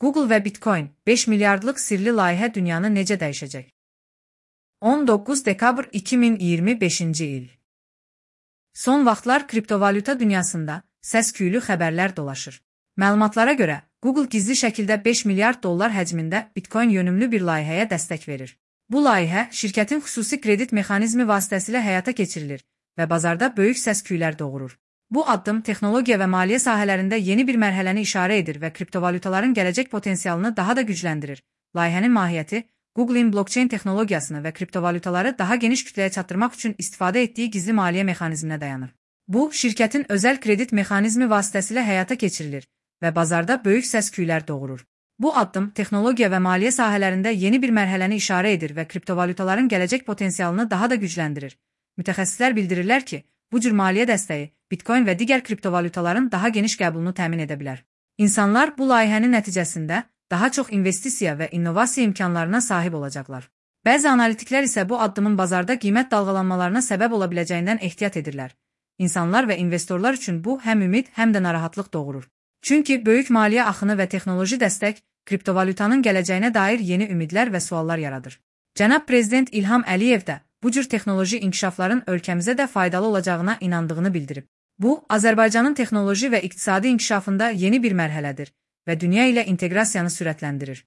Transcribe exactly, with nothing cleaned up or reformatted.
Google və Bitcoin beş milyardlıq sirli layihə dünyanı necə dəyişəcək? on doqquz dekabr iki min iyirmi beşinci il. Son vaxtlar kriptovalyuta dünyasında səs-küylü xəbərlər dolaşır. Məlumatlara görə, Google gizli şəkildə beş milyard dollar həcmində Bitcoin yönümlü bir layihəyə dəstək verir. Bu layihə şirkətin xüsusi kredit mexanizmi vasitəsilə həyata keçirilir və bazarda böyük səs-küylər doğurur. Bu addım texnologiya və maliyyə sahələrində yeni bir mərhələni işarə edir və kriptovalyutaların gələcək potensialını daha da gücləndirir. Layihənin mahiyyəti, Google'in blockchain texnologiyasını və kriptovalyutaları daha geniş kütləyə çatdırmaq üçün istifadə etdiyi gizli maliyyə mexanizminə dayanır. Bu, şirkətin özəl kredit mexanizmi vasitəsilə həyata keçirilir və bazarda böyük səs-küylər doğurur. Bu addım texnologiya və maliyyə sahələrində yeni bir mərhələni işarə edir və kriptovalyutaların gələcək potensialını daha da gücləndirir. Mütəxəssislər bildirirlər ki, bu cür maliyyə dəstəyi Bitcoin və digər kriptovalyutaların daha geniş qəbulunu təmin edə bilər. İnsanlar bu layihənin nəticəsində daha çox investisiya və innovasiya imkanlarına sahib olacaqlar. Bəzi analitiklər isə bu addımın bazarda qiymət dalğalanmalarına səbəb ola biləcəyindən ehtiyat edirlər. İnsanlar və investorlar üçün bu həm ümid, həm də narahatlıq doğurur. Çünki böyük maliyyə axını və texnoloji dəstək kriptovalyutanın gələcəyinə dair yeni ümidlər və suallar yaradır. Cənab Prezident İlham Əliyev də bu cür texnoloji inkişafların ölkəmizə də faydalı olacağına inandığını bildirib. Bu, Azərbaycanın texnoloji və iqtisadi inkişafında yeni bir mərhələdir və dünya ilə inteqrasiyanı sürətləndirir.